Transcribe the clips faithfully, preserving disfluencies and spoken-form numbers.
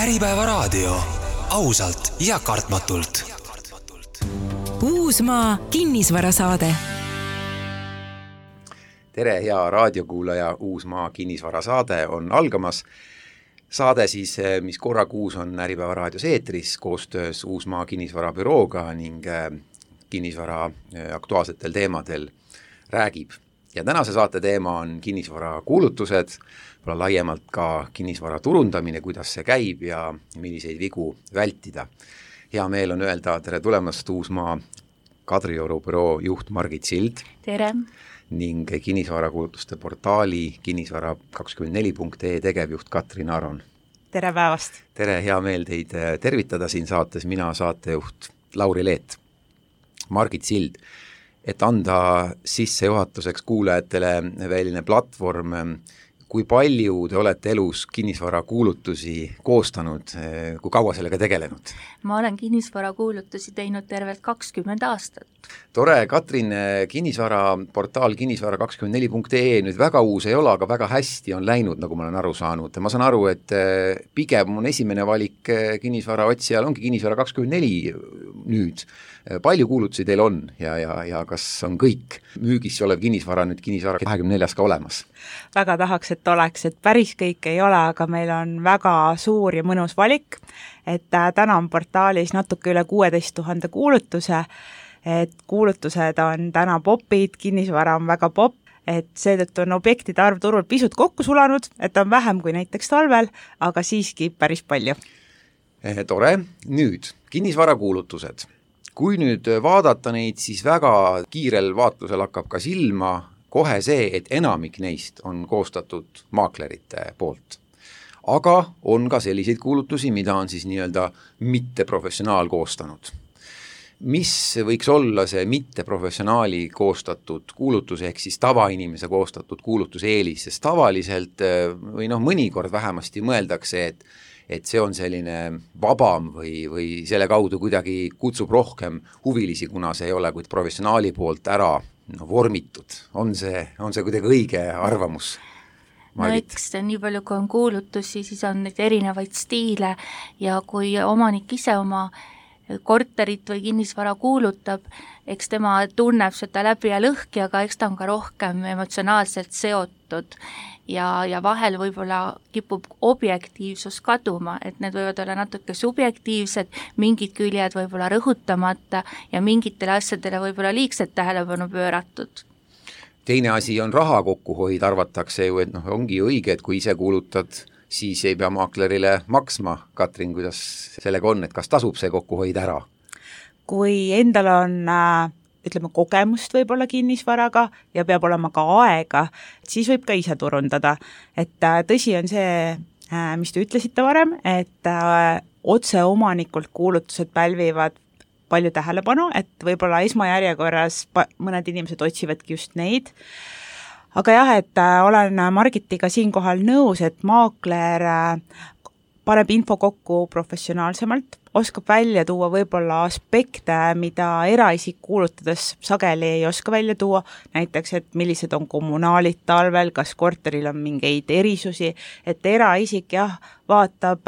Äripäeva raadio. Ausalt ja kartmatult. Uusmaa kinnisvarasaade. Tere, hea raadiokuulaja, Uusmaa kinnisvarasaade on algamas. Saade siis, mis korra kuus on Äripäeva raadios eetris koostöös Uusmaa kinnisvarabürooga ning kinnisvara aktuaalsetel teemadel räägib. Ja tänase saate teema on kinnisvara kuulutused, laiemalt ka kinnisvara turundamine, kuidas see käib ja milliseid vigu vältida. Hea meel on öelda tere tulemast Uusmaa Kadrioru büroo juht Margit Sild. Tere! Ning kinnisvarakuulutuste portaali kinnisvara kakskümmend neli punkt ee tegevjuht Katrin Aron. Tere päevast! Tere, hea meel teid tervitada siin saates, mina saatejuht Lauri Leet. Margit Sild, et anda sissejuhatuseks kuulajatele väline platvorm, kui palju te olete elus kinnisvarakuulutusi koostanud, kui kaua sellega tegelenud? Ma olen kinnisvarakuulutusi teinud tervelt kakskümmend aastat. Tore, Katrin, kinnisvara portaal kinnisvara kakskümmend neli punkt ee nüüd väga uus ei ole, aga väga hästi on läinud, nagu ma olen aru saanud. Ma saan aru, et pigem on esimene valik kinnisvara otsijal ongi kinnisvara kakskümmend neli nüüd. Palju kuulutusi teil on ja, ja, ja kas on kõik müügis olev kinnisvara nüüd kinnisvara kahekümne neljas ka olemas? Väga tahaks, et oleks, et päris kõik ei ole, aga meil on väga suur ja mõnus valik, et täna on portaalis natuke üle kuueteist tuhande kuulutuse, et kuulutused on täna popid, kinnisvara on väga pop, et seetõttu on objektide arv turul pisut kokku sulanud, et on vähem kui näiteks talvel, aga siiski päris palju. Tore, nüüd kinnisvara kuulutused. Kui nüüd vaadata neid, siis väga kiirel vaatlusel hakkab ka silma kohe see, et enamik neist on koostatud maaklerite poolt. Aga on ka selliseid kuulutusi, mida on siis nii-öelda mitteprofessionaal koostanud. Mis võiks olla see mitteprofessionaali koostatud kuulutus, ehk siis tavainimese koostatud kuulutuse eelis, sest tavaliselt või noh, mõnikord vähemasti mõeldakse, et et see on selline vabam või, või selle kaudu kuidagi kutsub rohkem huvilisi, kuna see ei ole kuid professionaali poolt ära no, vormitud. On see, on see kuidagi õige arvamus? Margit? No eks nii palju, kui on kuulutusi, siis on neid erinevaid stiile ja kui omanik ise oma korterit või kinnisvara kuulutab, eks tema tunneb seda läbi ja lõhki, aga eks ta on ka rohkem emotsionaalselt seotud ja, ja vahel võib-olla kipub objektiivsus kaduma, et need võivad olla natuke subjektiivsed, mingid küljed võib-olla rõhutamata ja mingitele asjadele võib-olla liigselt tähelepanu pööratud. Teine asi on raha kokkuhoid, arvatakse ju, et noh, ongi õige, et kui ise kuulutad, siis ei pea maaklerile maksma. Katrin, kuidas sellega on, et kas tasub see kokkuhoid ära? Kui endal on, ütleme, kogemust võib-olla kinnisvaraga ja peab olema ka aega, siis võib ka ise turundada. Et tõsi on see, mis te ütlesite varem, et otse omanikult kuulutused pälvivad palju tähelepanu, et võib-olla esmajärjekorras mõned inimesed otsivadki just neid. Aga jah, et olen Margitiga siinkohal nõus, et maakler paneb info kokku professionaalsemalt, oskab välja tuua võib-olla aspekte, mida eraisik kuulutades sageli ei oska välja tuua, näiteks, et millised on kommunaalid talvel, kas korteril on mingeid erisusi, et eraisik jah, vaatab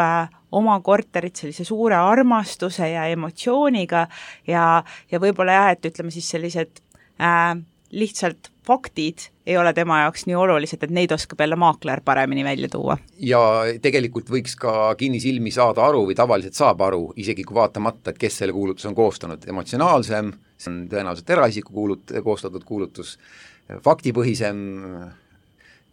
oma korterit sellise suure armastuse ja emotsiooniga ja, ja võib-olla jah, et ütleme siis sellised äh, lihtsalt faktid ei ole tema jaoks nii olulised, et neid oskab jälle maakler paremini välja tuua. Ja tegelikult võiks ka kinnisilmi saada aru või tavaliselt saab aru, isegi kui vaatamata, et kes selle kuulutus on koostanud. Emotsionaalsem, see on tõenäoliselt eraisiku kuulut, koostatud kuulutus, faktipõhisem,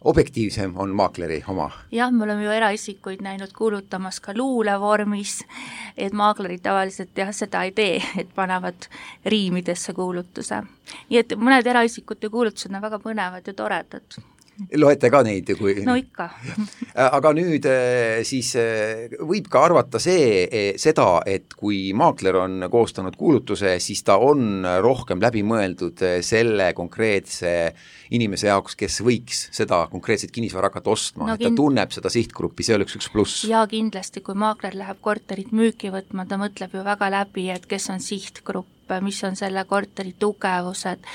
objektiivsem on maakleri oma. Jah, me oleme ju eraisikuid näinud kuulutamas ka luulevormis, et maaklerid tavaliselt jah, seda ei tee, et panevad riimidesse kuulutuse. Nii et mõned eraisikute kuulutused on väga põnevad ja toredad. Loete ka neid? Kui... No ikka. Aga nüüd siis võib ka arvata see, seda, et kui maakler on koostanud kuulutuse, siis ta on rohkem läbi mõeldud selle konkreetse inimese jaoks, kes võiks seda konkreetset kinnisvara hakata ostma, no, et ta kind... tunneb seda sihtgruppi, see oleks üks pluss. Ja kindlasti, kui maakler läheb korterit müüki võtma, ta mõtleb ju väga läbi, et kes on sihtgrupp, mis on selle korteri tugevused.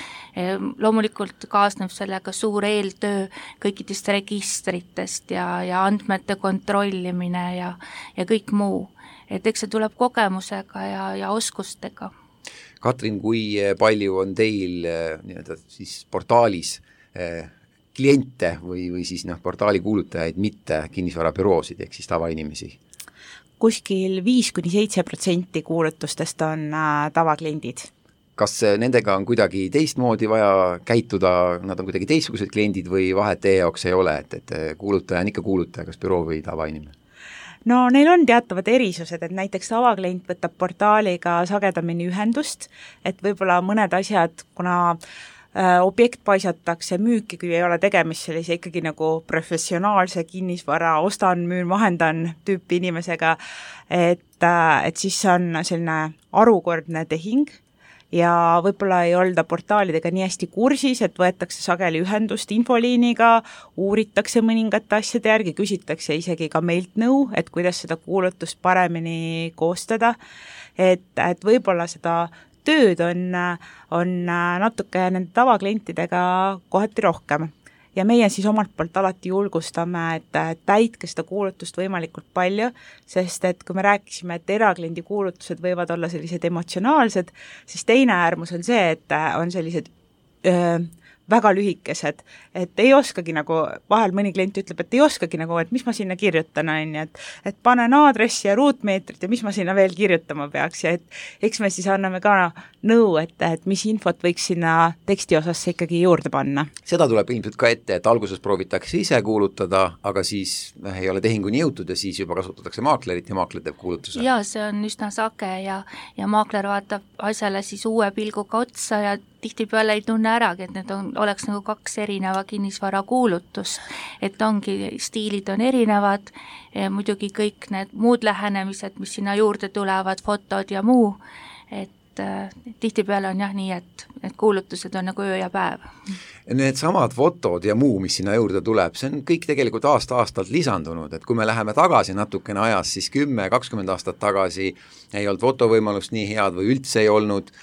Loomulikult kaasneb sellega suur eeltöö kõikidest registritest ja, ja andmete kontrollimine ja, ja kõik muu. Et eks see tuleb kogemusega ja, ja oskustega. Katrin, kui palju on teil nii-öelda siis portaalis eh, kliente või, või siis noh, portaali kuulutajaid, mitte kinnisvarabüroosid ehk siis tavainimesi? Kuskil viis kuni seitse protsenti kuulutustest on äh, tavakliendid. Kas nendega on kuidagi teistmoodi vaja käituda, nad on kuidagi teistsugused kliendid või vahet teie jaoks ei ole, et, et kuulutaja on ikka kuulutaja, kas büroo või tavainimene? No neil on teatavad erisused, et näiteks tavaklient võtab portaaliga sagedamini ühendust, et võib-olla mõned asjad, kuna objekt paisatakse müüki, kui ei ole tegemist sellise ikkagi nagu professionaalse kinnisvara, ostan, müün, vahendan tüüpi inimesega, et, et siis on selline arukordne tehing ja võib-olla ei olda portaalidega nii hästi kursis, et võetakse sageli ühendust infoliiniga, uuritakse mõningate asjade järgi, küsitakse isegi ka meilt nõu, et kuidas seda kuulutust paremini koostada, et, et võib-olla seda tööd on, on natuke nende tavaklientidega kohati rohkem. Ja meie siis omalt poolt alati julgustame, et täitke seda kuulutust võimalikult palju, sest et kui me rääkisime, et erakliendi kuulutused võivad olla sellised emotsionaalsed, siis teine äärmus on see, et on sellised öö, väga lühikesed, et ei oskagi nagu, vahel mõni klient ütleb, et ei oskagi nagu, et mis ma sinna kirjutan, on, et, et panen aadressi ja ruutmeetrit ja mis ma sinna veel kirjutama peaks ja et eks me siis anname ka nõu, et, et mis infot võiks sinna teksti osasse ikkagi juurde panna. Seda tuleb ilmselt ka ette, et alguses proovitakse ise kuulutada, aga siis ei ole tehinguni jõutud ja siis juba kasutatakse maaklerit ja maakler teeb kuulutuse. Jaa, see on üsna sage ja, ja maakler vaatab asjale siis uue pilguga otsa ja tihtipeale ei tunne äragi, et need on, oleks nagu kaks erineva kinnisvara kuulutust, et ongi, stiilid on erinevad, muidugi kõik need muud lähenemised, mis sinna juurde tulevad, fotod ja muu, et tihtipeale on jah nii, et, et kuulutused on nagu öö ja päev. Need samad fotod ja muu, mis sinna juurde tuleb, see on kõik tegelikult aasta-aastalt lisandunud, et kui me läheme tagasi natukene ajas, siis kümme, kakskümmend aastat tagasi ei olnud fotovõimalust nii head või üldse ei olnud,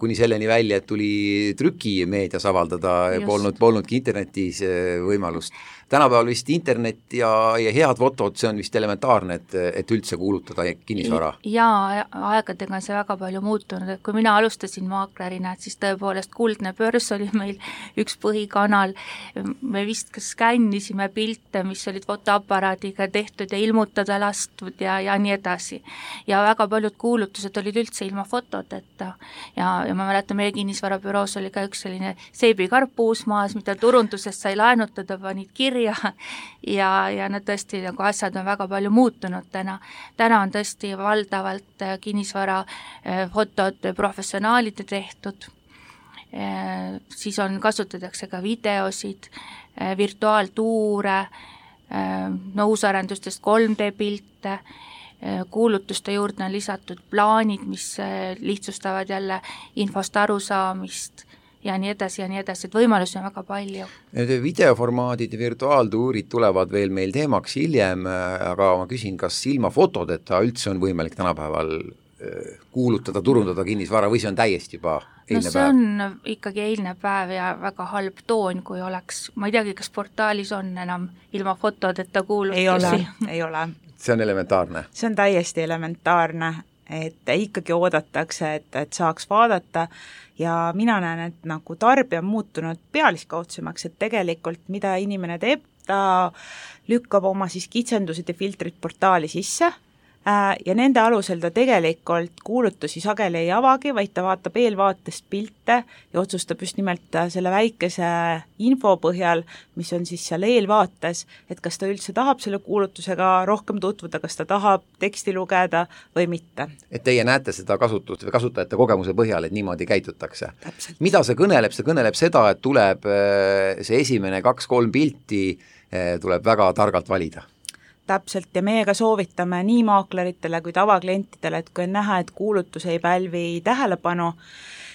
kuni selleni välja, et tuli trükimeedias avaldada, polnud, polnudki internetis võimalust. Tänapäeval vist internet ja, ja head fotod, see on vist elementaarne, et, et üldse kuulutada kinnisvara. Jaa, aegadega on see väga palju muutunud, et kui mina alustasin maaklerina, et siis tõepoolest Kuldne Börs oli meil üks põhikanal, me vist ka skännisime pilte, mis olid fotoaparaadiga tehtud ja ilmutada lastud ja, ja nii edasi. Ja väga paljud kuulutused olid üldse ilma fotodeta ja, ja ma mäletan, meie kinnisvarabüroos oli ka üks selline seebikarp Uusmaas, mida turundusest sai laenutada, panid kirja ja, ja nad tõesti nagu asjad on väga palju muutunud täna. Täna on tõesti valdavalt kinnisvara fotod professionaalide tehtud, siis on, kasutatakse ka videosid, virtuaaltuure, no uusarendustest kolm D pilte, kuulutuste juurde on lisatud plaanid, mis lihtsustavad jälle infost arusaamist ja nii edasi ja nii edasi, et võimalusi on väga palju. Need videoformaadid ja virtuaaltuurid tulevad veel meil teemaks hiljem, aga ma küsin, kas ilma fotodeta üldse on võimalik tänapäeval kuulutada, turundada kinnisvara või see on täiesti juba eilne päev? No see on ikkagi eilne päev ja väga halb toon, kui oleks, ma ei teagi, kas portaalis on enam ilma fotodeta kuulutusi? Ei ole, ei ole. See on elementaarne? See on täiesti elementaarne, et ikkagi oodatakse, et, et saaks vaadata ja mina näen, et nagu tarbija on muutunud pealiskaudsemaks, et tegelikult mida inimene teeb, ta lükkab oma siis kitsendused ja filtrid portaali sisse ja nende alusel ta tegelikult kuulutusi sageli ei avagi, vaid ta vaatab eelvaatest pilte ja otsustab just nimelt selle väikese info põhjal, mis on siis seal eelvaates, et kas ta üldse tahab selle kuulutusega rohkem tutvuda, kas ta tahab teksti lugeda või mitte. Et teie näete seda kasutust või kasutajate kogemuse põhjal, et niimoodi käitutakse. Täpselt. Mida see kõneleb? See kõneleb seda, et tuleb see esimene kaks-kolm pilti tuleb väga targalt valida. Täpselt, ja meie ka soovitame nii maakleritele kui tavaklientidele, et kui on näha, et kuulutus ei pälvi tähelepanu,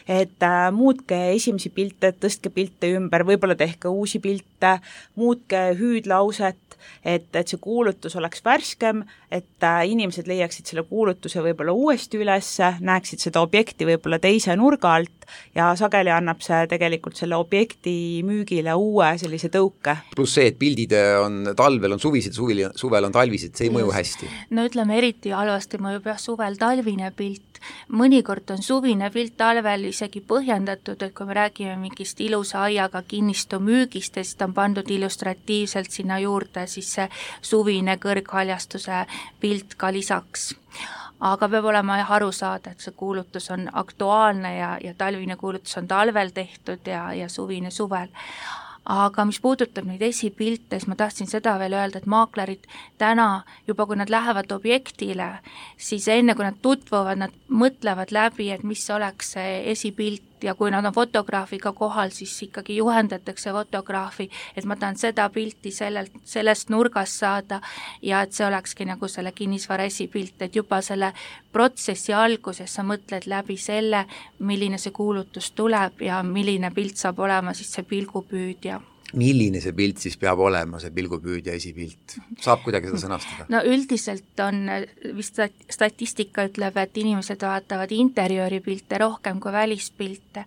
et äh, muutke esimesi pilte, tõstke pilte ümber, võib-olla tehke uusi pilte, muutke hüüdlauset, et, et see kuulutus oleks värskem, et äh, inimesed leiaksid selle kuulutuse võib-olla uuesti üles, näeksid seda objekti võib-olla teise nurga alt ja sageli annab see tegelikult selle objekti müügile uue sellise tõuke. Pluss see, et pildid on talvel on suvised, suvel, suvel on talvised, see ei mõju hästi. No ütleme, eriti halvasti mõjub jah suvel talvine pilt, mõnikord on suvine pilt talvel isegi põhjendatud, et kui me räägime mingist ilusa aiaga kinnistu müügist ja siis ta on pandud illustratiivselt sinna juurde, siis see suvine kõrghaljastuse pilt ka lisaks. Aga peab olema jah aru saada, et see kuulutus on aktuaalne ja, ja talvine kuulutus on talvel tehtud ja, ja suvine suvel. Aga mis puudutab neid esipilte, siis ma tahtsin seda veel öelda, et maaklerid täna juba, kui nad lähevad objektile, siis enne kui nad tutvuvad, nad mõtlevad läbi, et mis oleks see esipilt ja kui nad on fotograafiga kohal, siis ikkagi juhendatakse fotograafi, et ma tahan seda pilti sellelt, sellest nurgast saada ja et see olekski nagu selle kinnisvara esipilt, et juba selle protsessi alguses sa mõtled läbi selle, milline see kuulutus tuleb ja milline pilt saab olema siis see pilgupüüdja. Milline see pilt siis peab olema, see pilgupüüdja esipilt? Saab kuidagi seda sõnastada? No üldiselt on, vist statistika ütleb, et inimesed vaatavad interjööripilte rohkem kui välispilte,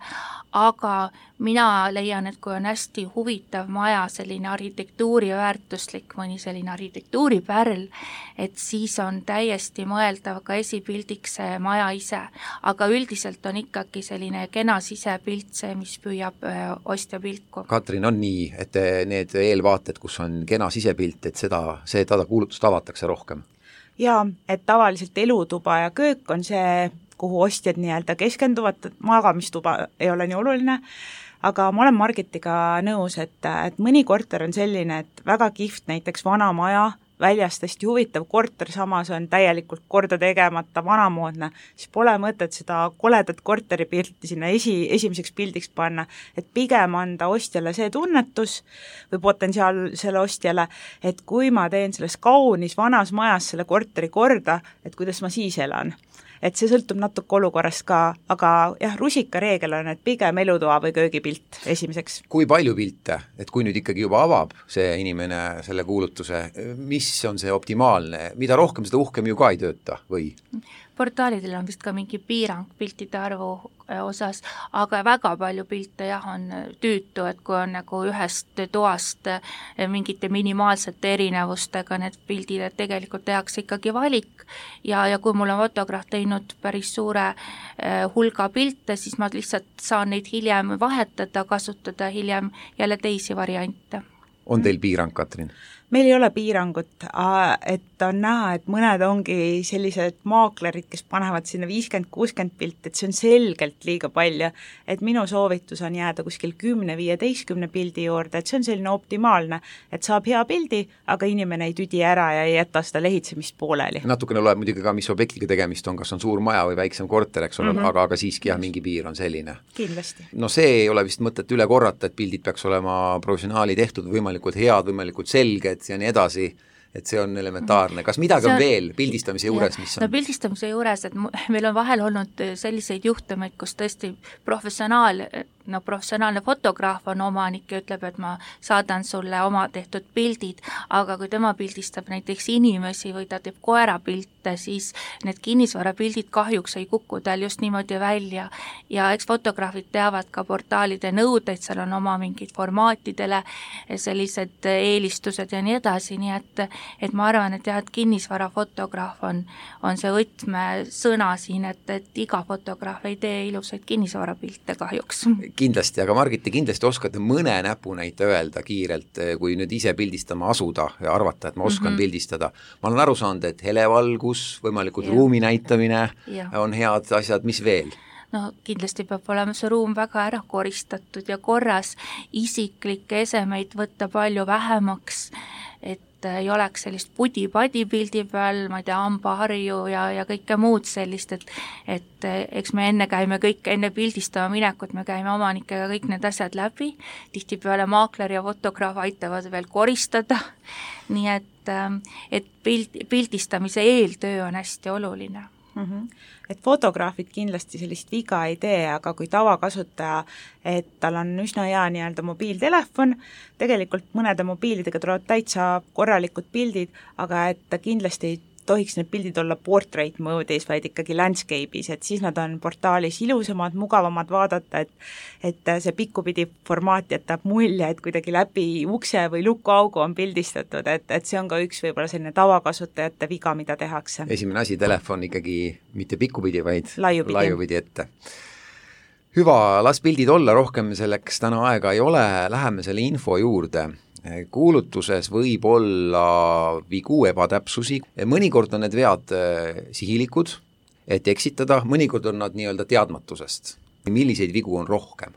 aga mina leian, et kui on hästi huvitav maja, selline arhitektuuri väärtuslik, mõni selline arhitektuuripärl, et siis on täiesti mõeldav ka esipildiks see maja ise, aga üldiselt on ikkagi selline kena sisepilt see, mis püüab ostja pilku. Katrin, on nii, et need eelvaated, kus on kena sisepilt, et seda, see tada kuulutust avatakse rohkem? Jaa, et tavaliselt elutuba ja köök on see, kuhu ostjad nii-öelda keskenduvad, magamistuba ei ole nii oluline, aga ma olen Margitiga nõus, et, et mõni korter on selline, et väga kihvt näiteks vana maja, väljast hästi huvitav korter, samas on täielikult korda tegemata, vanamoodne, siis pole mõtet seda koledat korteripilti sinna esi, esimeseks pildiks panna, et pigem anda ostjale see tunnetus või potentsiaal selle ostjale, et kui ma teen selles kaunis vanas majas selle korteri korda, et kuidas ma siis elan. Et see sõltub natuke olukorrast ka, aga jah, rusika reegel on, et pigem elutoa või köögipilt esimeseks. Kui palju pilte, et kui nüüd ikkagi juba avab see inimene selle kuulutuse, mis on see optimaalne, mida rohkem, seda uhkem ju ka ei tööta või? Portaalidel on vist ka mingi piirang piltide arvu osas, aga väga palju pilte jah on tüütu, et kui on nagu ühest toast mingite minimaalsete erinevustega need pildid, et tegelikult tehakse ikkagi valik ja, ja kui mul on fotograaf teinud päris suure hulga pilte, siis ma lihtsalt saan neid hiljem vahetada, kasutada hiljem jälle teisi variante. On teil piirang, Katrin? Meil ei ole piirangut, et on näha, et mõned ongi sellised maaklerid, kes panevad sinna viiskümmend kuuskümmend pilti, et see on selgelt liiga palju, et minu soovitus on jääda kuskil kümne viieteistkümne pildi juurde, et see on selline optimaalne, et saab hea pildi, aga inimene ei tüdi ära ja ei jäta seda lehitsemist pooleli. Natukene loeb muidugi ka, mis objektiga tegemist on, kas on suur maja või väiksem korter, eks ole, mm -hmm. aga, aga siiski jah, mingi piir on selline. Kindlasti. No see ei ole vist mõtet üle korrata, et pildid peaks olema professionaali tehtud, võimalikult head, võimalikult selged ja nii edasi, et see on elementaarne. Kas midagi on, on veel pildistamise juures, mis on? No pildistamise juures, et meil on vahel olnud selliseid juhtumeid, kus tõesti professionaal, no professionaalne fotograaf on omanik ja ütleb, et ma saadan sulle oma tehtud pildid, aga kui tema pildistab näiteks inimesi või ta teeb koerapilte, siis need kinnisvarapildid kahjuks ei kuku tal just niimoodi välja ja eks fotograafid teavad ka portaalide nõudeid, seal on oma mingid formaatidele sellised eelistused ja nii edasi, nii et, et ma arvan, et jah, et kinnisvarafotograaf on, on see võtmesõna siin, et, et iga fotograaf ei tee ilusaid kinnisvarapilte kahjuks. Kindlasti, aga Margiti, kindlasti oskate mõne näpunäite öelda kiirelt, kui nüüd ise pildistama asuda ja arvata, et ma oskan mm -hmm. pildistada. Ma olen aru saanud, et helevalgus, võimalikult ja. ruumi näitamine ja. on head asjad, mis veel? No kindlasti peab olema see ruum väga ära koristatud ja korras, isiklikke esemeid võtta palju vähemaks, et ei oleks sellist pudi-padi pildi peal, ma ei tea, hambaharju ja, ja kõike muud sellist, et, et eks me enne käime kõik, enne pildistama minekut, me käime omanikega kõik need asjad läbi, tihtipeale maakler ja fotograaf aitavad veel koristada, nii et, et pild, pildistamise eeltöö on hästi oluline. Mm-hmm. Et fotograafid kindlasti sellist viga ei tee, aga kui tavakasutaja, et tal on üsna hea nii-öelda mobiiltelefon, tegelikult mõnede mobiilidega tulevad täitsa korralikud pildid, aga et ta kindlasti ei tohiks need pildid olla portrait mode'is, vaid ikkagi landscape'is, et siis nad on portaalis ilusamad, mugavamad vaadata, et et see pikkupidi formaat jätab mulje, et kuidagi läbi ukse või lukuaugu on pildistatud, et, et see on ka üks võib-olla selline tavakasutajate viga, mida tehakse. Esimene asi, telefon ikkagi mitte pikkupidi, vaid laiupidi, laiupidi ette. Hüva, las pildid olla, rohkem selleks täna aega ei ole, läheme selle info juurde. Kuulutuses võib olla vigu, ebatäpsusi, mõnikord on need vead sihilikud, et eksitada, mõnikord on nad nii-öelda teadmatusest. Milliseid vigu on rohkem,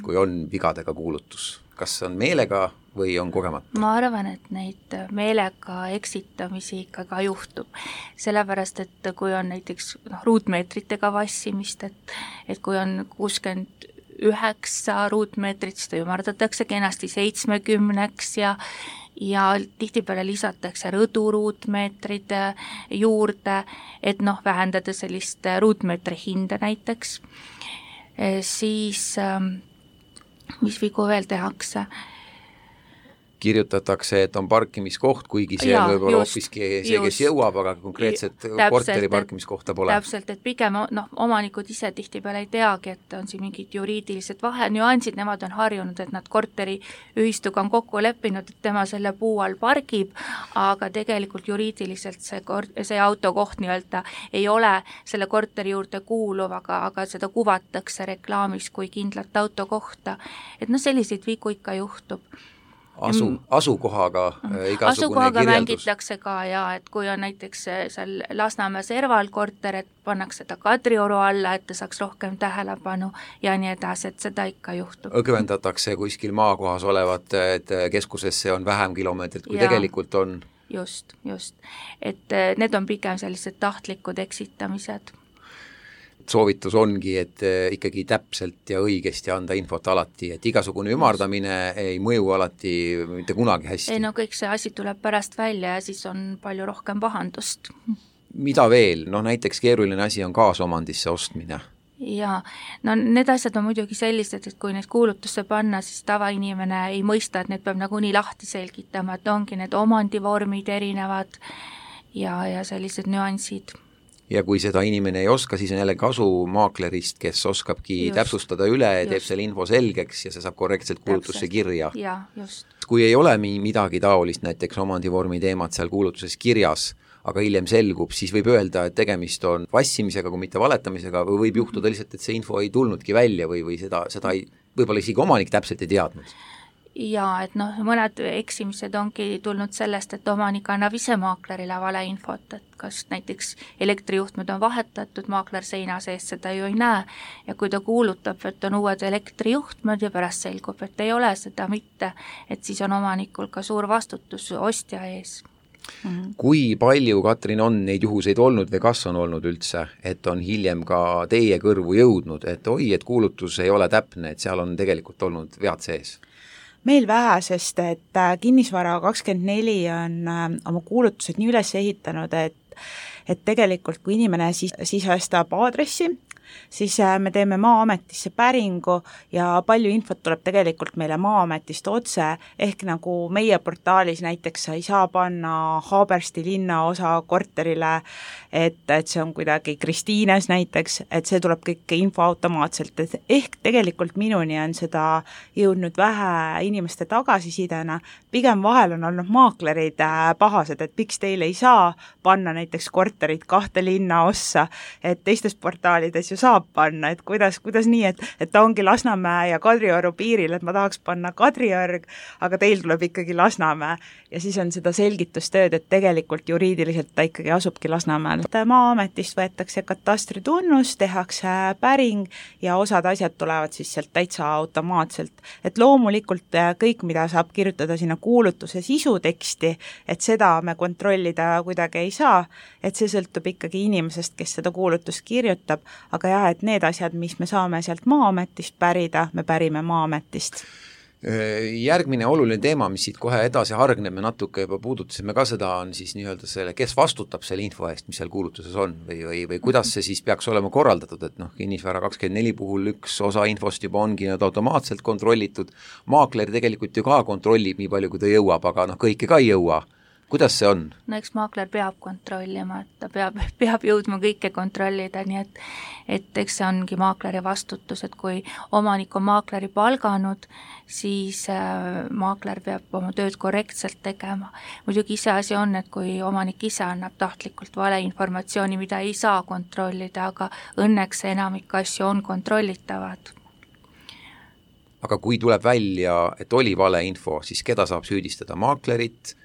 kui on vigadega kuulutus? Kas on meelega või on kogemata? Ma arvan, et neid meelega eksitamisi ikka ka juhtub. Sellepärast, et kui on näiteks noh, ruutmeetritega vassimist, et, et kui on kuuskümmend üheksa ruutmeetrit, seda ümardatakse kenasti seitsmekümneks ja, ja tihtipeale lisatakse rõduruutmeetrid juurde, et noh, vähendada sellist ruutmeetri hinda näiteks. Siis, mis vigu veel tehakse? Kirjutatakse, et on parkimiskoht, kuigi see on võib-olla hoopiski see, kes jõuab, aga konkreetset täpselt, korteri parkimiskohta pole. Täpselt, et pigem noh, omanikud ise tihtipeale ei teagi, et on siin mingid juriidilised vahe, nüansid, nemad on harjunud, et nad korteri ühistuga on kokku leppinud, et tema selle puu all pargib, aga tegelikult juriidiliselt see, kort, see autokoht nii-öelda ei ole selle korteri juurde kuuluv, aga, aga seda kuvatakse reklaamis kui kindlat autokohta. Et noh, selliseid vigu ikka juhtub. Asu, asukohaga igasugune asukohaga kirjeldus. Mängitakse ka ja, et kui on näiteks seal Lasnamäe serval korter, et pannakse ta Kadrioru alla, et ta saaks rohkem tähelepanu ja nii edasi, et seda ikka juhtub. Õgvendatakse kuskil maakohas olevat, et keskusesse on vähem kilomeetrit, kui ja, tegelikult on. Just, just. Et need on pigem sellised tahtlikud eksitamised. Soovitus ongi, et ikkagi täpselt ja õigesti anda infot alati, et igasugune ümardamine ei mõju alati mitte kunagi hästi. Ei no kõik see asi tuleb pärast välja ja siis on palju rohkem pahandust. Mida veel? No näiteks keeruline asi on kaasomandisse ostmine. Jaa, no need asjad on muidugi sellised, et kui need kuulutusse panna, siis tavainimene ei mõista, et need peab nagu nii lahti selgitama, et ongi need omandivormid erinevad ja, ja sellised nüansid. Ja kui seda inimene ei oska, siis on jälle kasu maaklerist, kes oskabki just, täpsustada üle ja teeb selle info selgeks ja see saab korrektselt kuulutusse kirja. Ja, just. Kui ei ole midagi taolist, näiteks omandivormi teemat seal kuulutuses kirjas, aga hiljem selgub, siis võib öelda, et tegemist on vassimisega, kui mitte valetamisega, või võib juhtuda lihtsalt, et see info ei tulnudki välja või, või seda, seda ei, võib-olla isegi omanik täpselt ei teadnud. Ja et noh, mõned eksimised ongi tulnud sellest, et omanik annab ise maaklerile valeinfot, et kas näiteks elektrijuhtmed on vahetatud, maakler seina sees seda ju ei näe ja kui ta kuulutab, et on uued elektrijuhtmed ja pärast selgub, et ei ole seda mitte, et siis on omanikul ka suur vastutus ostja ees. Mm-hmm. Kui palju, Katrin, on neid juhuseid olnud või kas on olnud üldse, et on hiljem ka teie kõrvu jõudnud, et oi, et kuulutus ei ole täpne, et seal on tegelikult olnud vead sees? Meil vähe, sest et Kinnisvara kakskümmend neli on oma kuulutused nii üles ehitanud, et, et tegelikult kui inimene sis, sisestab aadressi, siis me teeme Maa-ametisse päringu ja palju infot tuleb tegelikult meile Maa-ametist otse, ehk nagu meie portaalis näiteks sa ei saa panna Haabersti linnaosa korterile, et, et see on kuidagi Kristiines näiteks, et see tuleb kõik info automaatselt, et ehk tegelikult minuni on seda jõudnud vähe inimeste tagasisidena, pigem vahel on olnud maaklerid pahased, et miks teile ei saa panna näiteks korterit kahte linna ossa, et teistes portaalides ju saab panna, et kuidas, kuidas nii, et, et ta ongi Lasnamäe ja Kadrioru piiril, et ma tahaks panna Kadriorg, aga teil tuleb ikkagi Lasnamäe ja siis on seda selgitustööd, et tegelikult juriidiliselt ta ikkagi asubki Lasnamäel. Maa-ametist võetakse katastritunnus, tehakse päring ja osad asjad tulevad siis sealt täitsa automaatselt. Et loomulikult kõik, mida saab kirjutada sinna kuulutuse sisuteksti, et seda me kontrollida kuidagi ei saa, et see sõltub ikkagi inimesest, kes seda kuulutust kirjutab, aga jah, et need asjad, mis me saame sealt Maa-ametist pärida, me pärime Maa-ametist. Järgmine oluline teema, mis siit kohe edasi hargneb, me natuke juba puudutasime ka seda, on siis nii-öelda selle, kes vastutab selle info eest, mis seal kuulutuses on või, või, või kuidas see siis peaks olema korraldatud, et noh, kinnisvara kakskümmend neli puhul üks osa infost juba ongi nüüd automaatselt kontrollitud, maakler tegelikult ju ka kontrollib nii palju, kui ta jõuab, aga noh, kõike ka ei jõua. Kuidas see on? No eks maakler peab kontrollima, et ta peab, peab jõudma kõike kontrollida, nii et, et eks see ongi maakleri vastutus, et kui omanik on maakleri palganud, siis äh, maakler peab oma tööd korrektselt tegema. Muidugi ise asi on, et kui omanik ise annab tahtlikult valeinformatsiooni, mida ei saa kontrollida, aga õnneks enamik asju on kontrollitavad. Aga kui tuleb välja, et oli valeinfo, siis keda saab süüdistada? Maaklerit,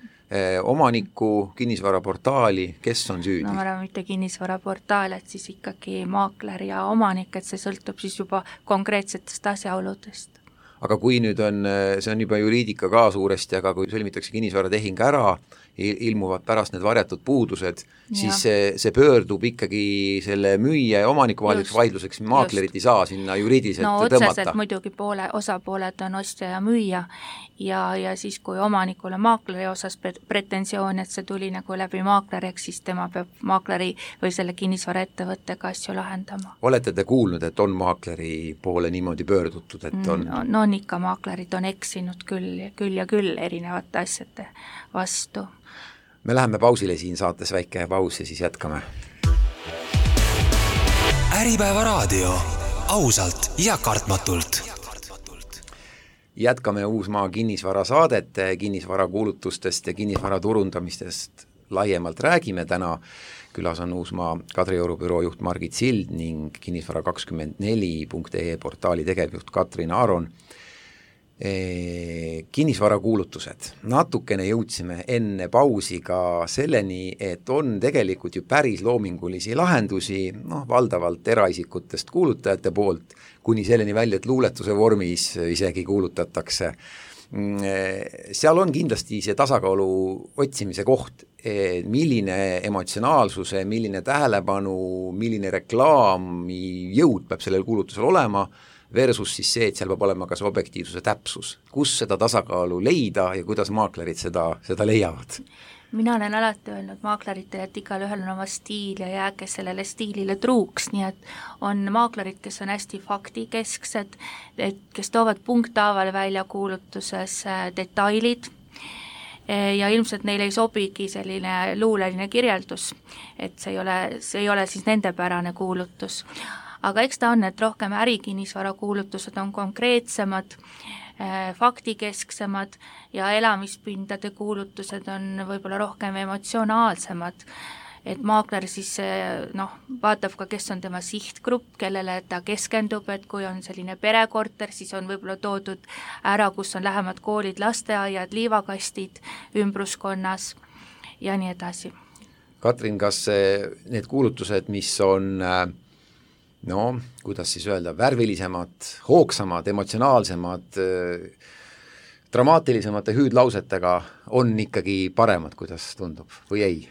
omanikku, kinnisvaraportaali, kes on süüdi? No ma arvan, mitte kinnisvaraportaal, et siis ikkagi maakler ja omanik, et see sõltub siis juba konkreetsetest asjaoludest. Aga kui nüüd on, see on juba juriidika ka suuresti, aga kui sõlmitakse kinnisvaratehing ära, ilmuvad pärast need varjatud puudused, ja. siis see, see pöördub ikkagi selle müüja ja omaniku vaheliseks vaidluseks, maaklerit ei saa sinna juriidiliselt no, tõmmata. No otseselt muidugi poole, osapooled on ostja ja müüja ja, ja siis kui omanikul on maakleri osas pretensioon, et see tuli nagu läbi maakleriks, siis tema peab maakleri või selle kinnisvaraettevõttega asju lahendama. Olete te kuulnud, et on maakleri poole niimoodi pöördutud, et on? No, no on ikka, maaklerid on eksinud küll, küll ja küll erinevate asjade vastu. Me läheme pausile siin saates, väike paus ja siis jätkame. Äripäeva raadio, ausalt ja kartmatult. Jätkame Uusmaa kinnisvara saadet, kinnisvara kuulutustest ja kinnisvara turundamistest laiemalt räägime täna. Külas on Uusmaa Kadrioru büroo juht Margit Sild ning kinnisvara kakskümmend neli punkt ee portaali tegevjuht Katrin Aaron. E, kinnisvara kuulutused. Natukene jõudsime enne pausi ka selleni, et on tegelikult ju päris loomingulisi lahendusi, noh, valdavalt eraisikutest kuulutajate poolt, kuni selleni välja, et luuletuse vormis isegi kuulutatakse. Seal on kindlasti see tasakaalu otsimise koht, milline emotsionaalsuse, milline tähelepanu, milline reklaami jõud peab sellel kuulutusel olema, versus siis see, et seal peab olema ka see objektiivsuse täpsus. Kus seda tasakaalu leida ja kuidas maaklerid seda, seda leiavad? Mina olen alati öelnud maakleritele, et igal ühel on oma stiil ja jääge sellele stiilile truuks, nii et on maaklerid, kes on hästi faktikesksed, et kes toovad punkthaaval välja kuulutuses detailid ja ilmselt neile ei sobigi selline luuleline kirjeldus, et see ei ole, see ei ole siis nende pärane kuulutus. Aga eks ta on, et rohkem ärikinnisvara kuulutused on konkreetsemad, faktikesksemad ja elamispindade kuulutused on võib-olla rohkem emotsionaalsemad. Et maakler siis noh, vaatab ka, kes on tema sihtgrupp, kellele ta keskendub, et kui on selline perekorter, siis on võib-olla toodud ära, kus on lähemad koolid, lasteaiad, liivakastid ümbruskonnas ja nii edasi. Katrin, kas need kuulutused, mis on no, kuidas siis öelda, värvilisemad, hoogsamad, emotsionaalsemad, dramaatilisemate hüüdlausetega on ikkagi paremad, kuidas tundub, või ei?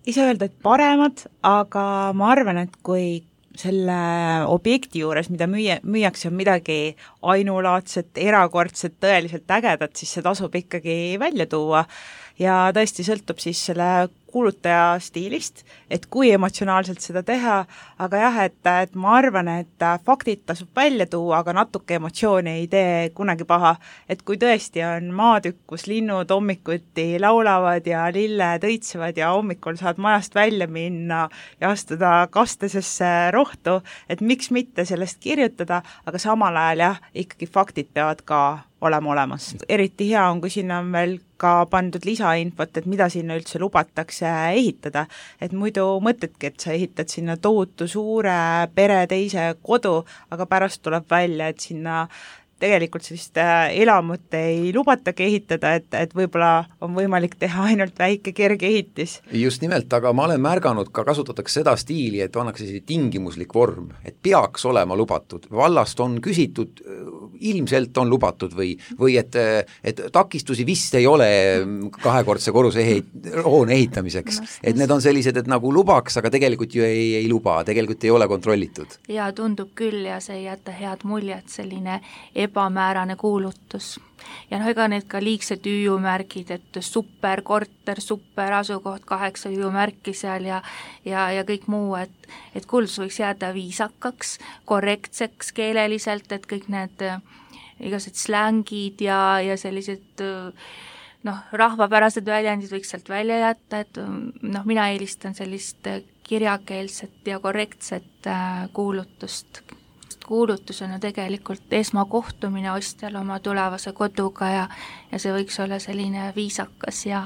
Ei saa öelda, et paremad, aga ma arvan, et kui selle objekti juures, mida müüa, müüakse on midagi ainulaadset, erakordset, tõeliselt ägedat, siis see tasub ikkagi välja tuua ja tõesti sõltub siis selle kuulutaja stiilist, et kui emotsionaalselt seda teha, aga jah, et, et ma arvan, et faktid tasub välja tuua, aga natuke emotsiooni ei tee kunagi paha, et kui tõesti on maatükk, kus linnud hommikuti laulavad ja lilled õitsevad ja hommikul saad majast välja minna ja astuda kastesesse rohtu, et miks mitte sellest kirjutada, aga samal ajal jah, ikkagi faktid peavad ka olema olemas. Eriti hea on, kui sinna on veel ka pandud lisainfot, et mida sinna üldse lubatakse ehitada, et muidu mõtledki, et sa ehitad sinna tohutu suure pere teise kodu, aga pärast tuleb välja, et sinna tegelikult sellist elamut ei lubatagi ehitada, et, et võib-olla on võimalik teha ainult väike kerge ehitis. Just nimelt, aga ma olen märganud ka kasutatakse seda stiili, et annaks selline tingimuslik vorm, et peaks olema lubatud. Vallast on küsitud, ilmselt on lubatud või, või et, et takistusi vist ei ole kahekordse korruse ehit, hoone ehitamiseks. Et need on sellised, et nagu lubaks, aga tegelikult ju ei, ei luba, tegelikult ei ole kontrollitud. Ja tundub küll ja see ei jäta head muljet, selline ebamäärane kuulutus. Ja noh, ega need ka liigsed hüüumärgid, et super korter, super asukoht, kaheksa hüüumärki seal ja ja, ja kõik muu, et, et kuulutus võiks jääda viisakaks, korrektseks keeleliselt, et kõik need igased slängid ja, ja sellised noh, rahvapärased väljendid võiks sealt välja jätta, et noh, mina eelistan sellist kirjakeelset ja korrektset kuulutust. Kuulutus on ju tegelikult esmakohtumine ostjal oma tulevase koduga ja, ja see võiks olla selline viisakas ja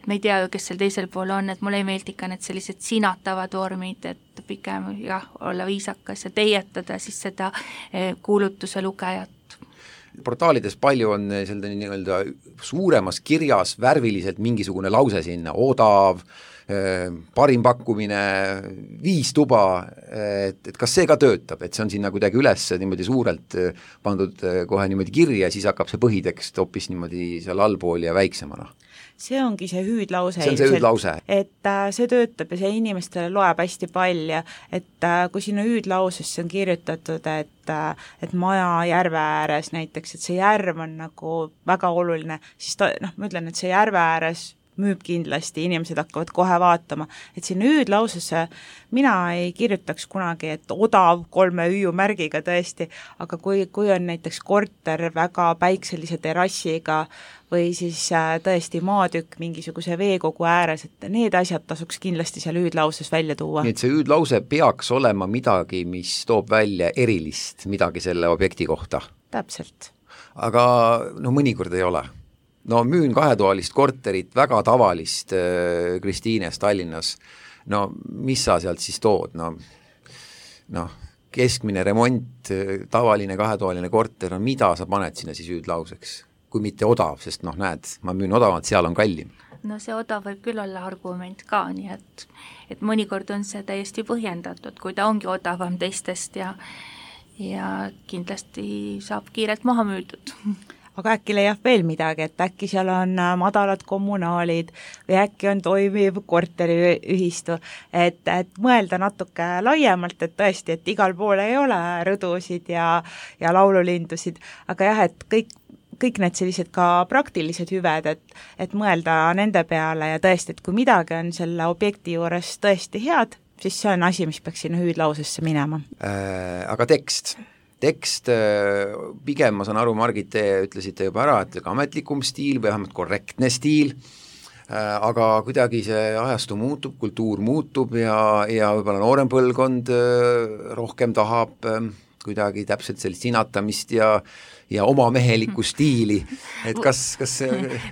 me ei tea ju, kes seal teisel pool on, et mulle ei meeldi ka need sellised sinatavad vormid, et pigem jah, olla viisakas ja teietada siis seda kuulutuse lugejat. Portaalides palju on selline nii-öelda suuremas kirjas värviliselt mingisugune lause sinna, odav, parim pakkumine, viis tuba, et, et kas see ka töötab, et see on sinna kuidagi üles niimoodi suurelt pandud kohe niimoodi kirja ja siis hakkab see põhitekst hoopis niimoodi seal allpool ja väiksemana? See ongi see hüüdlause. See on see hüüdlause. Et äh, see töötab ja see inimestele loeb hästi palju, et äh, kui sinna hüüdlausesse on kirjutatud, et, äh, et maja järve ääres näiteks, et see järv on nagu väga oluline, siis ta, noh, ma ütlen, et see järve ääres müüb kindlasti, inimesed hakkavad kohe vaatama, et sinna hüüdlausesse mina ei kirjutaks kunagi, et odav kolme hüüumärgiga tõesti, aga kui, kui on näiteks korter väga päikselise terrassiga või siis tõesti maatükk mingisuguse veekogu ääres, et need asjad tasuks kindlasti seal hüüdlauses välja tuua. Nii et see hüüdlause peaks olema midagi, mis toob välja erilist midagi selle objekti kohta? Täpselt. Aga no mõnikord ei ole. No müün kahetoalist korterit, väga tavalist äh, Kristiines Tallinnas, no mis sa sealt siis tood, no, no keskmine remont, tavaline kahetoaline korter, no mida sa paned sinna siis hüüdlauseks, kui mitte odav, sest noh, näed, ma müün odavalt, seal on kallim. No see odav võib küll olla argument ka, nii et, et mõnikord on see täiesti põhjendatud, kui ta ongi odavam teistest ja, ja kindlasti saab kiirelt maha müüdud. Aga äkki leiab veel midagi, et äkki seal on madalad kommunaalid või äkki on toimiv korteriühistu, et, et mõelda natuke laiemalt, et tõesti, et igal pool ei ole rõdusid ja, ja laululindusid, aga jah, et kõik, kõik need sellised ka praktilised hüved, et, et mõelda nende peale ja tõesti, et kui midagi on selle objekti juures tõesti head, siis see on asi, mis peaks sinna hüüdlausesse minema. Äh, aga tekst tekst, pigem ma saan aru, Margit, te ütlesite juba ära, et ametlikum stiil või vähemalt korrektne stiil, aga kuidagi see ajastu muutub, kultuur muutub ja, ja võib-olla noorem põlvkond rohkem tahab kuidagi täpselt sellist sinatamist ja, ja oma mehelikku stiili, et kas, kas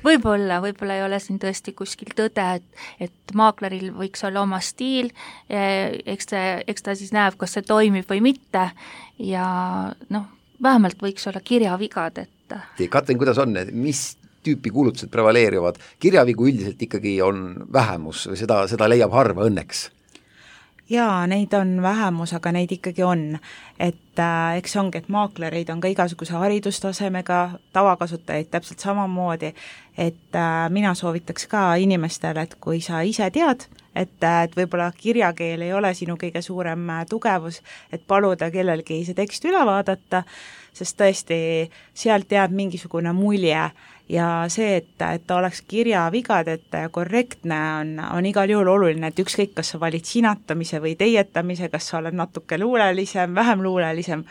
võib-olla, võib-olla ei ole siin tõesti kuskil tõde, et, et maakleril võiks olla oma stiil, eks ta, eks ta siis näeb, kas see toimib või mitte ja noh, vähemalt võiks olla kirjavigad, et Katrin, kuidas on, mis tüüpi kuulutused prevaleerivad? Kirjavigu üldiselt ikkagi on vähemus, seda, seda leiab harva õnneks. Jaa, neid on vähemus, aga neid ikkagi on, et äh, eks ongi, et maaklereid on ka igasuguse haridustasemega, tavakasutajaid täpselt samamoodi, et äh, mina soovitaks ka inimestele, et kui sa ise tead, et, et võib-olla kirjakeel ei ole sinu kõige suurem tugevus, et paluda kellelgi see tekst üle vaadata, sest tõesti sealt jääb mingisugune mulje ja see, et, et ta oleks kirjavigadeta ja korrektne, on, on igal juhul oluline, et ükskõik, kas sa valid sinatamise või teietamise, kas sa oled natuke luulelisem, vähem luulelisem,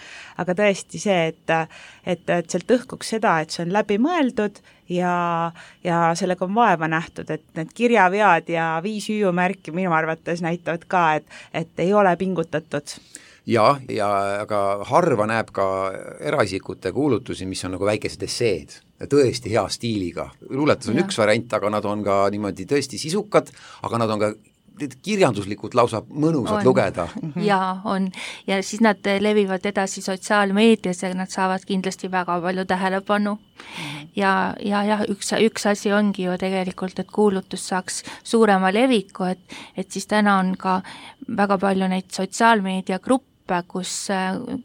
aga tõesti see, et, et, et sealt õhkuks seda, et see on läbi mõeldud ja, ja sellega on vaeva nähtud, et need kirjavead ja viis hüüumärki minu arvates näitavad ka, et, et ei ole pingutatud. Ja, ja aga harva näeb ka eraisikute kuulutusi, mis on nagu väikesed esseed, tõesti hea stiiliga. Luuletus on ja. üks variant, aga nad on ka niimoodi tõesti sisukad, aga nad on ka kirjanduslikult lausa mõnusad on. Lugeda. Jaa, on. Ja siis nad levivad edasi sotsiaalmeedias ja nad saavad kindlasti väga palju tähelepanu. Ja, ja, ja üks, üks asi ongi ju tegelikult, et kuulutus saaks suurema leviku, et, et siis täna on ka väga palju neid sotsiaalmeediagruppe, kus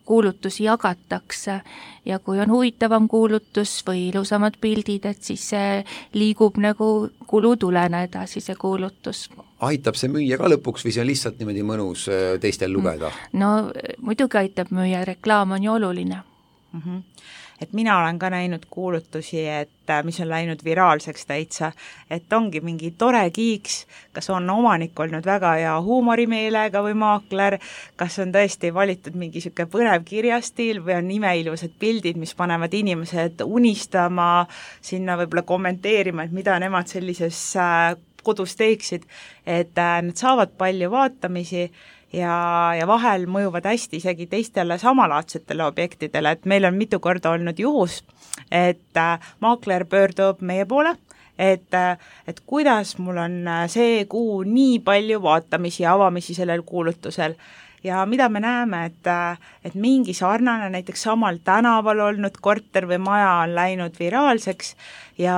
kuulutusi jagatakse ja kui on huvitavam kuulutus või ilusamad pildid, et siis see liigub nagu kulutulena edasi, see kuulutus. Aitab see müüa ka lõpuks või see on lihtsalt niimoodi mõnus teistel lugeda? No muidugi aitab müüa, reklaam on ju oluline. Mm-hmm. Et mina olen ka näinud kuulutusi, et mis on läinud viraalseks täitsa, et ongi mingi tore kiiks, kas on omanik olnud väga hea huumorimeelega või maakler, kas on tõesti valitud mingi siuke põnev kirjastiil või on imeilusad pildid, mis panevad inimesed unistama, sinna võib-olla kommenteerima, et mida nemad sellises kodus teeksid, et need saavad palju vaatamisi ja, ja vahel mõjuvad hästi isegi teistele samalaadsetele objektidele, et meil on mitu korda olnud juhus, et maakler pöördub meie poole, et, et kuidas mul on see kuu nii palju vaatamisi ja avamisi sellel kuulutusel ja mida me näeme, et, et mingi sarnane näiteks samal tänaval olnud korter või maja on läinud viraalseks ja,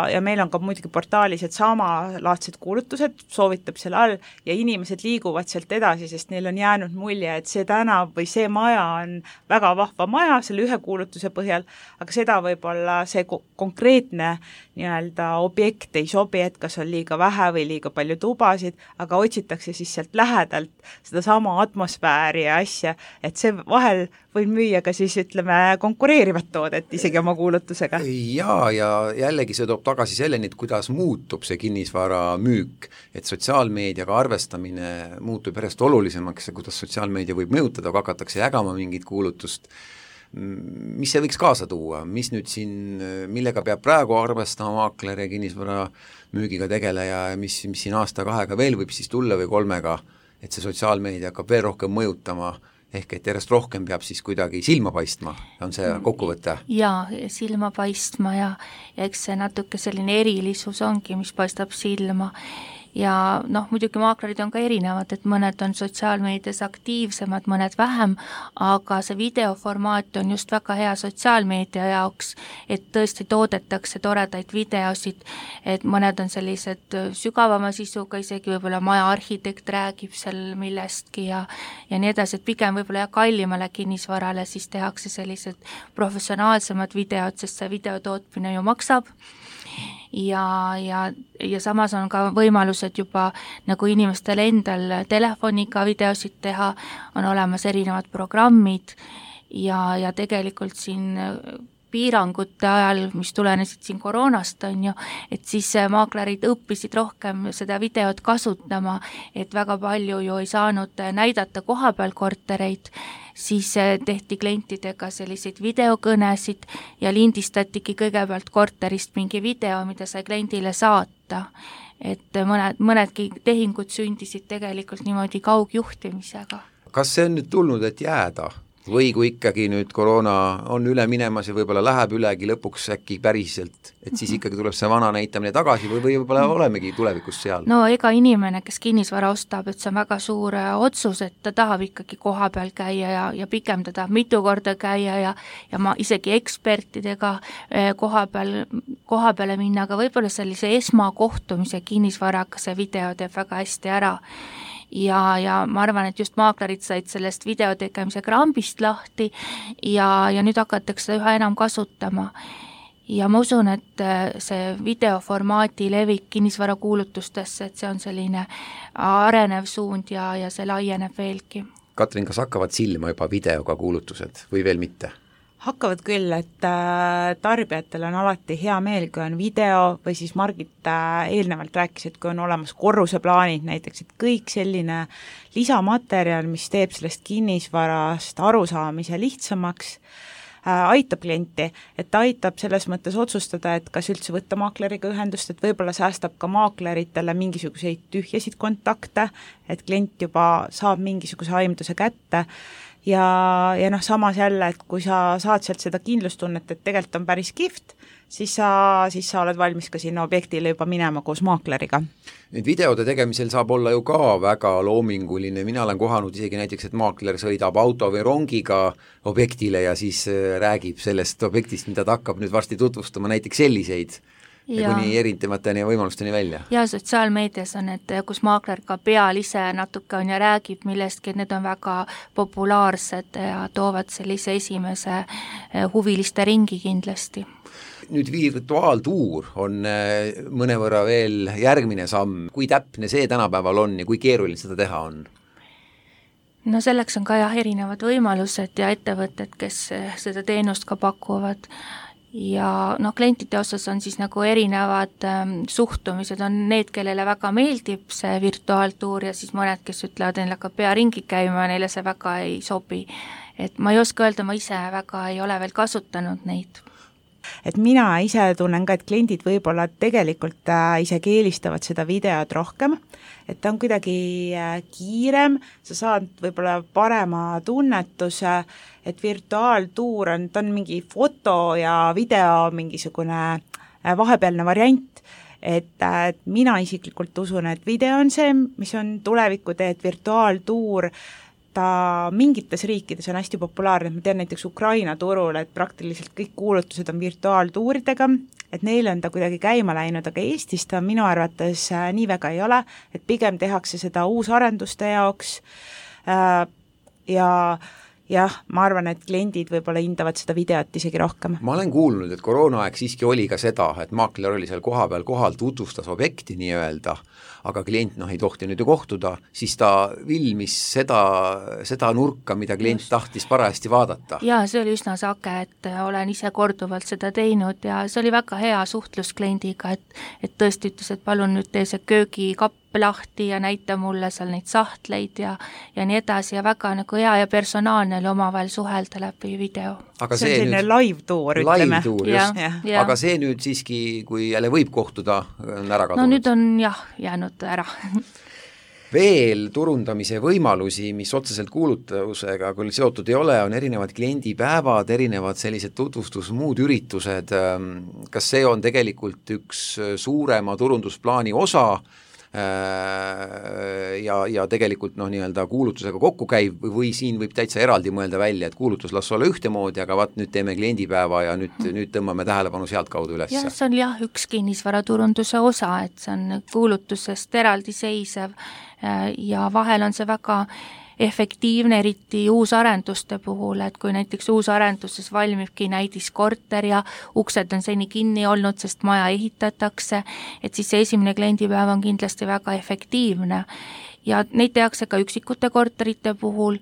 ja meil on ka muidugi portaalis, et samalaadsed kuulutused soovitab selle all ja inimesed liiguvad sealt edasi, sest neil on jäänud mulje, et see tänav või see maja on väga vahva maja selle ühe kuulutuse põhjal, aga seda võib-olla see konkreetne nii-öelda objekt ei sobi, et kas on liiga vähe või liiga palju tubasid, aga otsitakse siis sealt lähedalt seda sama atmosfääri ja asja, et see vahel võin müüa ka siis ütleme konkureerivat toodet isegi oma kuulutusega. Jaa, ja jällegi see toob tagasi selleni, et kuidas muutub see kinnisvara müük, et sotsiaalmeediaga arvestamine muutub järjest olulisemaks ja kuidas sotsiaalmeedia võib mõjutada, kui hakatakse jagama mingit kuulutust. Mis see võiks kaasa tuua, mis nüüd siin, millega peab praegu arvestama maakler ja kinnisvara müügiga tegeleja ja mis, mis siin aasta-kahega veel võib siis tulla või kolmega, et see sotsiaalmeedia hakkab veel rohkem mõjutama, ehk et järjest rohkem peab siis kuidagi silma paistma, on see kokkuvõte? Jaa, silma paistma ja, ja eks see natuke selline erilisus ongi, mis paistab silma ja noh, muidugi maaklerid on ka erinevad, et mõned on sotsiaalmeedias aktiivsemad, mõned vähem, aga see videoformaat on just väga hea sotsiaalmeedia jaoks, et tõesti toodetakse toredaid videosid, et mõned on sellised sügavama sisuga, isegi võib-olla maja arhitekt räägib seal millestki ja, ja nii edasi, et pigem võib-olla ja kallimale kinnisvarale siis tehakse sellised professionaalsemad videod, sest see videotootmine ju maksab. Ja, ja, ja samas on ka võimalused juba nagu inimestel endal telefoniga videosid teha, on olemas erinevad programmid ja, ja tegelikult siin piirangute ajal, mis tulenesid siin koroonast, on ju, et siis maaklerid õppisid rohkem seda videot kasutama, et väga palju ju ei saanud näidata kohapeal kortereid, siis tehti klientidega selliseid videokõnesid ja lindistatigi kõigepealt korterist mingi video, mida sai kliendile saata. Et mõned, mõnedki tehingud sündisid tegelikult niimoodi kaugjuhtimisega. Kas see on nüüd tulnud, et jääda? Või kui ikkagi nüüd koroona on üle minemas ja võib-olla läheb ülegi lõpuks äkki päriselt, et siis ikkagi tuleb see vana näitamine tagasi või võib-olla olemegi tulevikus seal? No ega inimene, kes kinnisvara ostab, et see on väga suur otsus, et ta tahab ikkagi koha peal käia ja, ja pigem ta tahab mitu korda käia ja, ja ma isegi ekspertidega koha peal, koha peale minna, aga võib-olla sellise esmakohtumise kinnisvaraga see video teeb väga hästi ära. Ja, ja ma arvan, et just maaklerid said sellest video tegemise krambist lahti ja, ja nüüd hakatakse üha enam kasutama. Ja ma usun, et see videoformaati levik kinnisvara kuulutustesse, et see on selline arenev suund ja, ja see laieneb veelgi. Katrin, kas hakkavad silma juba videoga kuulutused või veel mitte? Hakkavad küll, et tarbijatel on alati hea meel, kui on video või siis Margit eelnevalt rääkis, et kui on olemas korruseplaanid näiteks, et kõik selline lisamaterjal, mis teeb sellest kinnisvarast arusaamise lihtsamaks, aitab klienti, et ta aitab selles mõttes otsustada, et kas üldse võtta maakleriga ühendust, et võib-olla säästab ka maakleritele mingisuguseid tühjasid kontakte, et klient juba saab mingisuguse aimduse kätte ja, ja noh, samas jälle, et kui sa saad sealt seda kindlustunnet, et tegelikult on päris kihvt, siis sa, siis sa oled valmis ka sinna objektile juba minema koos maakleriga. Nüüd videode tegemisel saab olla ju ka väga loominguline, mina olen kohanud isegi näiteks, et maakler sõidab auto või rongiga objektile ja siis räägib sellest objektist, mida ta hakkab nüüd varsti tutvustama, näiteks selliseid ja kuni erinevateni ja võimalusteni välja. Ja sotsiaalmeedias on, et kus maakler ka peal ise natuke on ja räägib millestki, et need on väga populaarsed ja toovad sellise esimese huviliste ringi kindlasti. Nüüd virtuaaltuur on mõnevõrra veel järgmine samm, kui täpne see tänapäeval on ja kui keeruline seda teha on? no selleks on ka jah erinevad võimalused ja ettevõtted, kes seda teenust ka pakuvad ja noh, klientide osas on siis nagu erinevad ähm, suhtumised, on need, kellele väga meeldib see virtuaaltuur ja siis mõned, kes ütlevad, neil hakkab pea ringi käima ja neile see väga ei sobi. Et ma ei oska öelda, ma ise väga ei ole veel kasutanud neid. Et mina ise tunnen ka, et kliendid võib-olla tegelikult äh, isegi eelistavad seda videot rohkem, et ta on kuidagi äh, kiirem, sa saad võib-olla parema tunnetuse, et virtuaaltuur on, ta on mingi foto ja video mingisugune äh, vahepealne variant, et, äh, et mina isiklikult usun, et video on see, mis on tuleviku tee, et virtuaaltuur ta mingites riikides on hästi populaarne, ma tean näiteks Ukraina turul, et praktiliselt kõik kuulutused on virtuaaltuuridega, et neile on ta kuidagi käima läinud, aga Eestis ta minu arvates äh, nii väga ei ole, et pigem tehakse seda uusarenduste jaoks äh, ja jah, ma arvan, et kliendid võib-olla hindavad seda videot isegi rohkem. Ma olen kuulnud, et koroonaaeg siiski oli ka seda, et maakler oli seal koha peal kohal, tutvustas objekti nii öelda, aga klient noh, ei tohti nüüd ju kohtuda, siis ta vilmis seda, seda nurka, mida klient Just. tahtis parajasti vaadata. Jaa, see oli üsna sage, et olen ise korduvalt seda teinud ja see oli väga hea suhtlus kliendiga, et, et tõesti ütles, et palun nüüd tee see köögikapp lahti ja näita mulle seal neid sahtleid ja, ja nii edasi ja väga nagu hea ja personaalne oli omavahel suhelda läbi video. Aga see on selline nüüd... live-tuur, ütleme. Live-tuur, just. Ja, ja. Aga see nüüd siiski, kui jälle võib kohtuda, on ära kadunud. No nüüd on jah, jäänud ära. Veel turundamise võimalusi, mis otseselt kuulutusega küll seotud ei ole, on erinevad kliendipäevad, erinevad sellised tutvustus, muud üritused. Kas see on tegelikult üks suurema turundusplaani osa ja, ja tegelikult noh, nii-öelda kuulutusega kokku käib või siin võib täitsa eraldi mõelda välja, et kuulutus las olla ühtemoodi, aga vaat nüüd teeme kliendipäeva ja nüüd, nüüd tõmbame tähelepanu sealt kaudu üles. jah, see on jah üks kinnisvaraturunduse osa, et see on kuulutusest eraldi seisev ja vahel on see väga efektiivne, eriti uusarenduste puhul, et kui näiteks uusarenduses valmibki näidiskorter ja uksed on seni kinni olnud, sest maja ehitatakse, et siis see esimene kliendipäev on kindlasti väga efektiivne ja neid tehakse ka üksikute korterite puhul,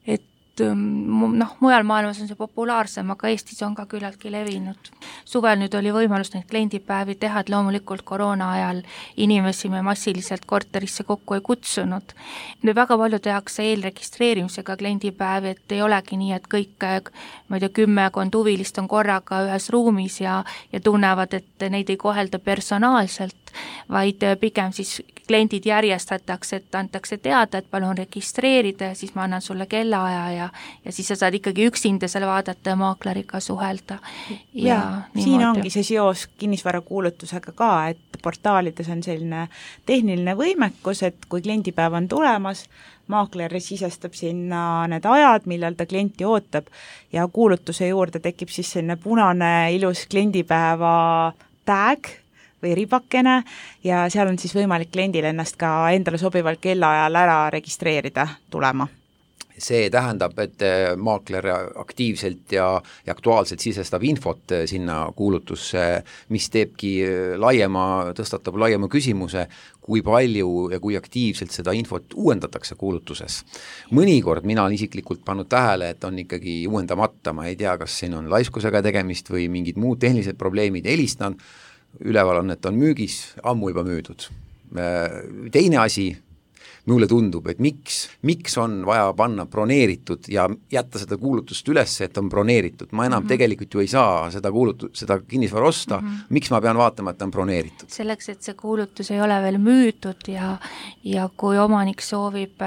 et noh, mujal maailmas on see populaarsem, aga Eestis on ka küllaltki levinud. Suvel nüüd oli võimalus neid kliendipäevi teha, et loomulikult koroona ajal inimesi me massiliselt korterisse kokku ei kutsunud. Nüüd väga palju tehakse eelregistreerimisega kliendipäevi, et ei olegi nii, et kõik, ma ei tea, kümmekond huvilist on korraga ühes ruumis ja, ja tunnevad, et neid ei kohelda personaalselt, vaid pigem siis kliendid järjestatakse, et antakse teada, et palun registreerida ja siis ma annan sulle kellaaja ja, ja siis sa saad ikkagi üksinda seal vaadata ja maakleriga suhelda. Ja, ja siin ongi see seos kinnisvarakuulutusega ka, et portaalides on selline tehniline võimekus, et kui kliendipäev on tulemas, maakler sisestab sinna need ajad, millal ta klienti ootab ja kuulutuse juurde tekib siis selline punane ilus kliendipäeva tag või ribakene ja seal on siis võimalik kliendil ennast ka endale sobival kellaajal ära registreerida tulema. See tähendab, et maakler aktiivselt ja, ja aktuaalselt sisestab infot sinna kuulutusse, mis teebki laiema, tõstatab laiema küsimuse, kui palju ja kui aktiivselt seda infot uuendatakse kuulutuses. Mõnikord mina olen isiklikult pannud tähele, et on ikkagi uuendamata, ma ei tea, kas siin on laiskusega tegemist või mingid muud tehnilised probleemid, helistan, üleval on, et on müügis, ammu juba müüdud. Teine asi, mulle tundub, et miks, miks on vaja panna broneeritud ja jätta seda kuulutust üles, et on broneeritud. Ma enam mm -hmm. tegelikult ju ei saa seda, kuulutu, seda kinnisvara osta. Mm -hmm. Miks ma pean vaatama, et on broneeritud? Selleks, et see kuulutus ei ole veel müüdud ja, ja kui omanik soovib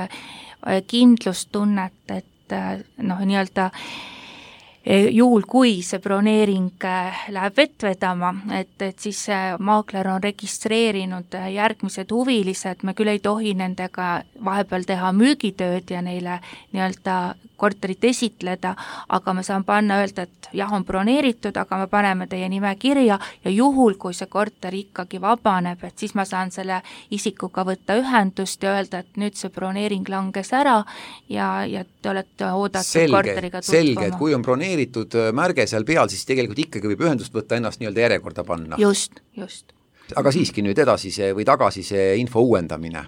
kindlustunnet, et noh, nii-öelda juhul, kui see broneering läheb vett vedama, et, et siis maakler on registreerinud järgmised huvilised, me küll ei tohi nendega vahepeal teha müügitööd ja neile nii-öelda korterit esitleda, aga me saan panna öelda, et jah, on broneeritud, aga me paneme teie nime kirja ja juhul, kui see korter ikkagi vabaneb, et siis ma saan selle isikuga võtta ühendust ja öelda, et nüüd see broneering langes ära ja, ja te olete oodatud selge, korteriga tutvama. Selge, et kui on broneeritud märge seal peal, siis tegelikult ikkagi võib ühendust võtta ennast nii-öelda järjekorda panna. Just, just. Aga siiski nüüd edasi see või tagasi see info uuendamine.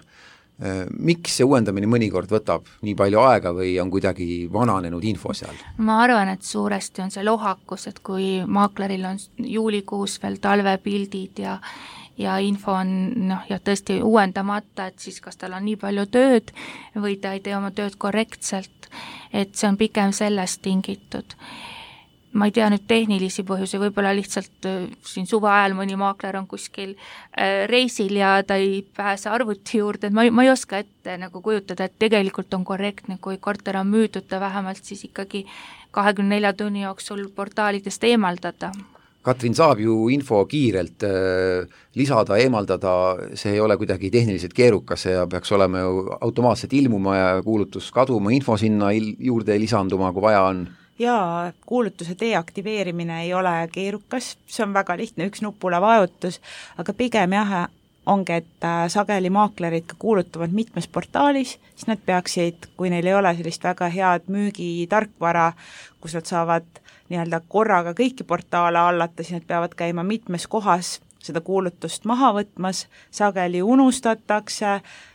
Miks see uuendamine mõnikord võtab nii palju aega või on kuidagi vananenud info seal? Ma arvan, et suuresti on see lohakus, et kui maakleril on juulikuus veel talvepildid ja ja info on noh, ja tõesti uuendamata, et siis kas tal on nii palju tööd või ta ei tee oma tööd korrektselt, et see on pigem sellest tingitud. Ma ei tea nüüd tehnilisi põhjusi, võib-olla lihtsalt siin suve ajal mõni maakler on kuskil reisil ja ta ei pääse arvuti juurde, et ma ei, ma ei oska ette nagu kujutada, et tegelikult on korrektne, kui korter on müüdud, ta vähemalt siis ikkagi kahekümne nelja tunni jooksul portaalidest eemaldada. Katrin, saab ju info kiirelt äh, lisada, eemaldada, see ei ole kuidagi tehniliselt keerukas ja peaks olema ju automaatselt ilmuma ja kuulutus kaduma, info sinna il- juurde lisanduma, kui vaja on. Jaa, kuulutuse deaktiveerimine ei ole keerukas, see on väga lihtne, üks nupule vajutus, aga pigem jah, ongi, et sageli maaklerid ka kuulutavad mitmes portaalis, siis nad peaksid, kui neil ei ole sellist väga head müügitarkvara, kus nad saavad nii-öelda korraga kõiki portaale hallata, siis nad peavad käima mitmes kohas seda kuulutust maha võtmas, sageli unustatakse,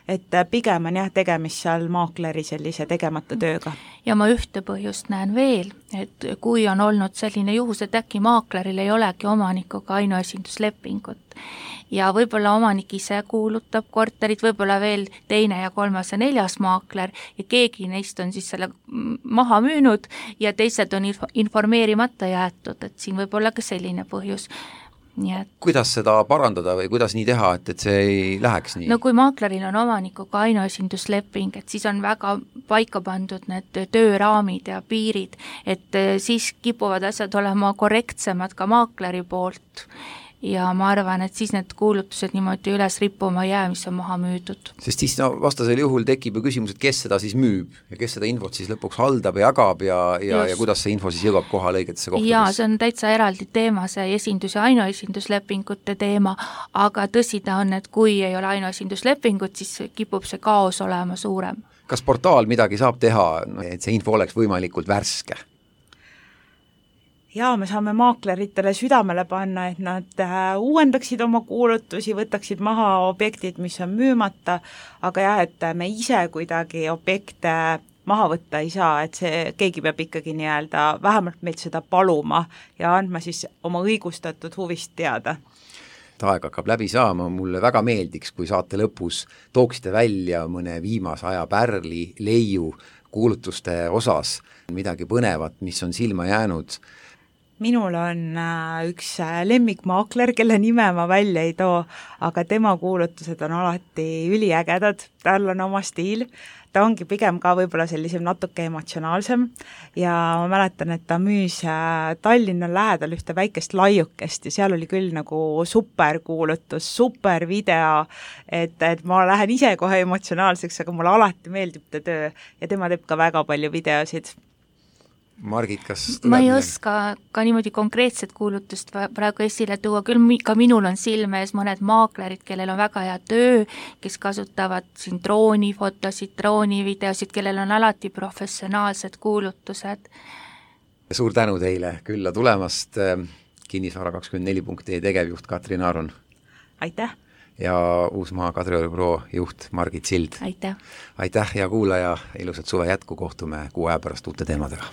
et pigem on jah tegemist seal maakleri sellise tegemata tööga. Ja ma ühte põhjust näen veel, et kui on olnud selline juhus, et äkki maakleril ei olegi omanikuga ainuesinduslepingut ja võib-olla omanik ise kuulutab korterit, võib-olla veel teine ja kolmas ja neljas maakler ja keegi neist on siis selle maha müünud ja teised on informeerimata jäetud, et siin võib olla ka selline põhjus. Nii et... Kuidas seda parandada või kuidas nii teha, et, et see ei läheks nii? No kui maakleril on omanikuga ainuesindusleping, et siis on väga paika pandud need tööraamid ja piirid, et siis kipuvad asjad olema korrektsemad ka maakleri poolt ja ma arvan, et siis need kuulutused niimoodi üles rippuma jää, mis on maha müüdud. Sest siis no, vastasel juhul tekib ju küsimus, et kes seda siis müüb ja kes seda infot siis lõpuks haldab ja jagab ja, ja, ja kuidas see info siis jõuab kohale õigetesse kohtadesse. Jaa, see on täitsa eraldi teema, see esindus- ja ainuesinduslepingute teema, aga tõsi ta on, et kui ei ole ainuesinduslepingut, siis kipub see kaos olema suurem. Kas portaal midagi saab teha, et see info oleks võimalikult värske? Jaa, me saame maakleritele südamele panna, et nad uuendaksid oma kuulutusi, võtaksid maha objektid, mis on müümata, aga jah, et me ise kuidagi objekte maha võtta ei saa, et see, keegi peab ikkagi nii-öelda vähemalt meilt seda paluma ja andma siis oma õigustatud huvist teada. Aeg hakkab läbi saama, mulle väga meeldiks, kui saate lõpus tooksite välja mõne viimase aja pärli, leiu kuulutuste osas, midagi põnevat, mis on silma jäänud. Minul on üks lemmikmaakler, kelle nime ma välja ei too, aga tema kuulutused on alati üliägedad, tal on oma stiil, ta ongi pigem ka võib-olla sellisem natuke emotsionaalsem ja ma mäletan, et ta müüs Tallinna lähedal ühte väikest laiukest ja seal oli küll nagu super kuulutus, super video, et, et ma lähen ise kohe emotsionaalseks, aga mulle alati meeldib ta töö ja tema teeb ka väga palju videosid. Margit, kas tuleb ma ei oska ka niimoodi konkreetset kuulutust praegu esile tuua, küll ka minul on silme ees mõned maaklerid, kellel on väga hea töö, kes kasutavad siin droonifotosid, droonivideosid, kellel on alati professionaalsed kuulutused. Suur tänu teile külla tulemast, Kinnisvara kakskümmend neli punkt ee tegevjuht Katrin Aron. Aitäh! Ja Uusmaa Kadrioribüroo juht Margit Sild. Aitäh! Aitäh ja kuulaja, ilusat suve jätku, kohtume kuu aja pärast uute teemadega.